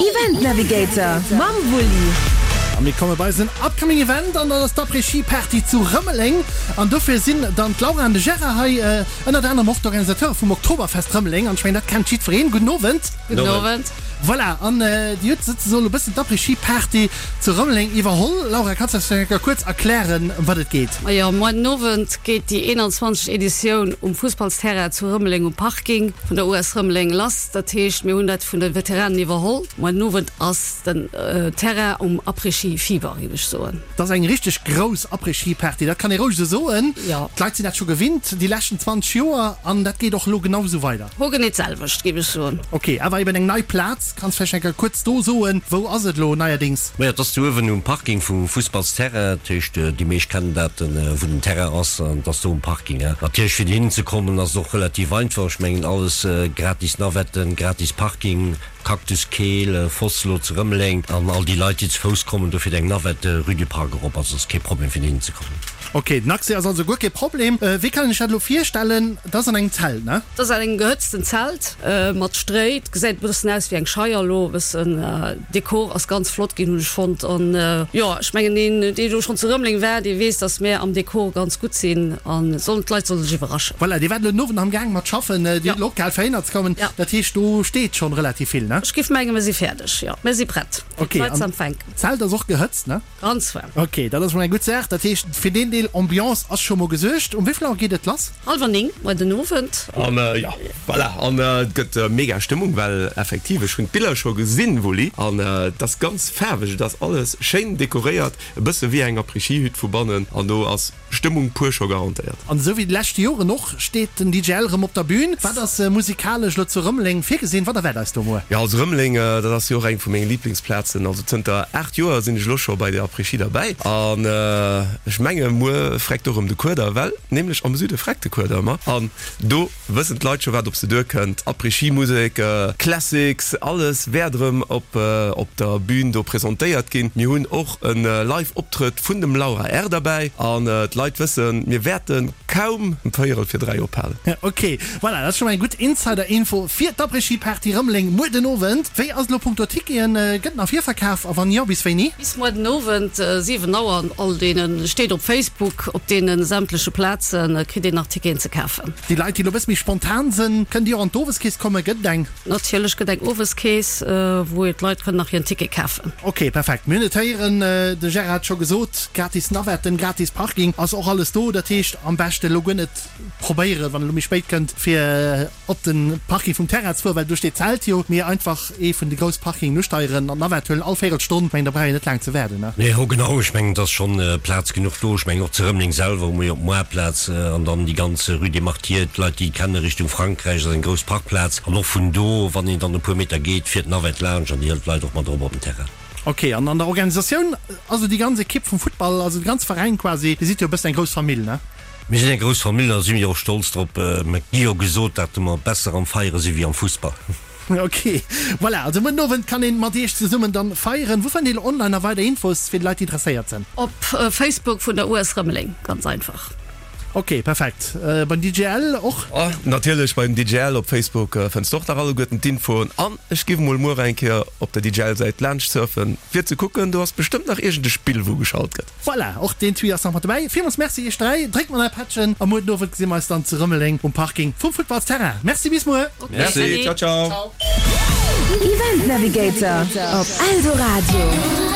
Event Navigator mam Wulli. A mir komme bei eisen upcoming Event an dat ass d'Après-Ski Party zu Rëmeleng. An dofir sinn dann d'Laura an de Gérard hei, ënnert anerem och d'Organisateure vum Oktoberfest Rëmeleng. An ech mengen dat kennt jiddwereen. Gudden Owend. Gudden Owend. Voilà, an Dir hutt souzesoen e bëssen d'Après-Ski Party zu Rëmeleng iwwerholl. Laura, kanns du eis eng Kéier kuerz erklären, ëm wat et geet? Majo, moar den Owend geet déi 21. Editioun um Fussballsterrain zu Rëmeleng um Parking vun der US Rëmeleng lass. Dat heescht, mir hunn dat vun de Veteranen iwwerholl. Moar den Owend ass den Terrain um Après-Ski Fieber, géif ech soen. Dat ass eng richteg grouss Après-Ski-Party, dat kann ee roueg esou soen. Jo. D'Leit sinn dat scho gewinnt déi leschten 20 Joer an dat geet och elo genau esou weider. Ho genee d'selwecht, géif ech soen. Ok, awer eben eng nei Plaz. Kanns vläicht eng Kéier kuerz do soen, wou ass et elo neierdings? Majo, et ass do uewen um Parking vum Fussballsterrain. Dat heescht, déi meescht kennen dat, wou den Terrain ass, an et ass do um Parking. Natierlech, fir dohinnen ze kommen, ass et och relativ einfach. Ech mengen, alles gratis Navetten, gratis Parking, Cactus Keel, Vosslo zu Rëmeleng, an all déi Leit, déi ze Fouss kommen, do fiert eng Navette Rue du Parc erop. Also ass kee Problem, fir dohinnen ze kommen. Ok, den Accès ass also guer kee Problem. Wéi kann een sech dat elo virstellen? Dat ass an engem Zelt, ne? Dat ass an engem gehëtzten Zelt mat Stréi. Et gesäit e bëssen aus wéi eng Scheier elo e bëssen. Dekor ass ganz flott ginn, hunn ech fonnt. An jo, ech mengen een, dee elo schonn zu Rëmeleng war, dee weess, dass mär am Dekor ganz gutt sinn. An sollen d'Leit solle sech iwwerraschen. Voilà, dir waart elo den Owend am Gaang mat schaffen. Dir hutt elo opgehal fir héinner ze kommen. Dat heescht, do steet schonn relativ vill, ne? Ech géif mengen, mir si fäerdeg, jo. Mir si prett fir d'Leit ze empfänken. Ok, an d'Zelt ass och gehëtzt, ne? Ganz waarm. Ok, dat ass mol eng gutt Saach. Dat heescht, fir deen Deel Ambiance ass scho mol gesuergt. Um wéi vill Auer geet et lass? Hallwer 9 muer den Owend. An jo, voilà, an et gëtt mega Stëmmung, well effektiv, ech hunn d'Biller scho gesinn, Wulli, an et ass ganz faarweg, et ass alles schéin dekoréiert, e bësse wéi eng Après-Ski-Hütt vu bannen, an do ass Stëmmung pur scho garantéiert. An esou wéi déi leschte Joren och, steet den DJ L erëm op der Bühn. Wat ass musikalesch elo zu Rëmeleng virgesinn? Wat erwaart eis do muer? Jo, also Rëmeleng, dat ass jo och eng vu menge Liblingsplazen. Also zënter 8 Joer sinn ech elo scho bei der Après-Ski derbäi. An ech menge muer freckt och erëm de Kueder, well nämlech am Süde freckt de Kueder ëmmer. An do wëssen d'Leit scho wat op se duer kënnt. Après-Ski Musek, Classics, alles wäert erëm op op der Bühn do presentéiert ginn. Mir hunn och en Live Optrëtt vun dem Laura R derbäi an d'Leit wëssen, mir wäerte kaum um véierel fir 3 ophalen. Ok, voilà, dat ass scho mol eng gutt Insider-Info fir d'Après-Ski Party Rëmeleng muer den Owend. Wéi ass et elo punkto Ticketen? Gëtt nach Virverkaf a wann jo, bis wéini? Bis muer den Owend 7 Auer an all deene Stéit op Facebook, op deene sämtleche Plaze kritt een nach Ticketen ze kafen. Déi Leit, déi elo e bësse méi spontan sënn, kënnen déi och an d'Oweskeess kommen? Gëtt et eng? Natierlech gëtt eng Oweskeess, wou d'Leit kënnen nach hiren Ticket kafen. Ok, perfekt. Mir hunn et héieren, de Gérard hat scho gesot, gratis Navetten, gratis Parking, ass och alles do. Dat heescht, am beschte elo guer net probéieren, wann e lo méi spéit kënnt, fir op de Parking vum Terrain ze fueren, well do steet d'Zelt jo, mee einfach ee vun de grouss Parkingen usteieren an d'Navette huelen, all Véierelstonn. Ech mengen, da brauch een net laang ze waarden, ne? Nee, ho genau, ech mengen, et ass schonn Plaz genuch do. Ech mengen och zu Rëmeleng selwer hu mer jo d'Moarplaz an dann déi ganz Rue des Martyrs, d'Leit, déi et kennen, Richtung Frankräich ass eng grouss Parkplaz. An och vun do, wann een dann e puer Meter geet, fiert d'Navette laanscht an déi hëlt d'Leit och mat erop op den Terrain. Ok, an an der Organisatioun, also déi ganz Ekipp vum Futtball, also de ganze Veräin quasi, dir sidd jo e bëssen eng grouss Famill, ne? Mir sinn eng grouss Famill a si mir och stolz drop. Mä et gi jo gesot, dat mer besser am Feiere si wéi am Fussball. Ok, voilà, also muer den Owend kann een mat iech zesummen dann feieren. Wou fannt dir online nach weider Infos fir déi Leit déi interesséiert sënn? Op Facebook vun der US Rëmeleng, ganz einfach. Ok, perfekt. Beim DJL och? Natierlech, beim DJL op Facebook fënns de och nach alleguerten d'Infoen. An ech giff mol muer eng Kéier op der DJL-Säit laanscht surfen fir ze kucken, do ass bestëmmt nach iergend e Spill wou geschalt gëtt. Voilà, och deen Tweet ass nach mat dobäi. Villmools Merci iech 3. Dréckt mat är Pättchen a muer den Owend gesi mer eis dann zu Rëmeleng um Parking vum Futtballsterrain. Merci, bis muer! Merci, ciao ciao! Event Navigator op Eldoradio.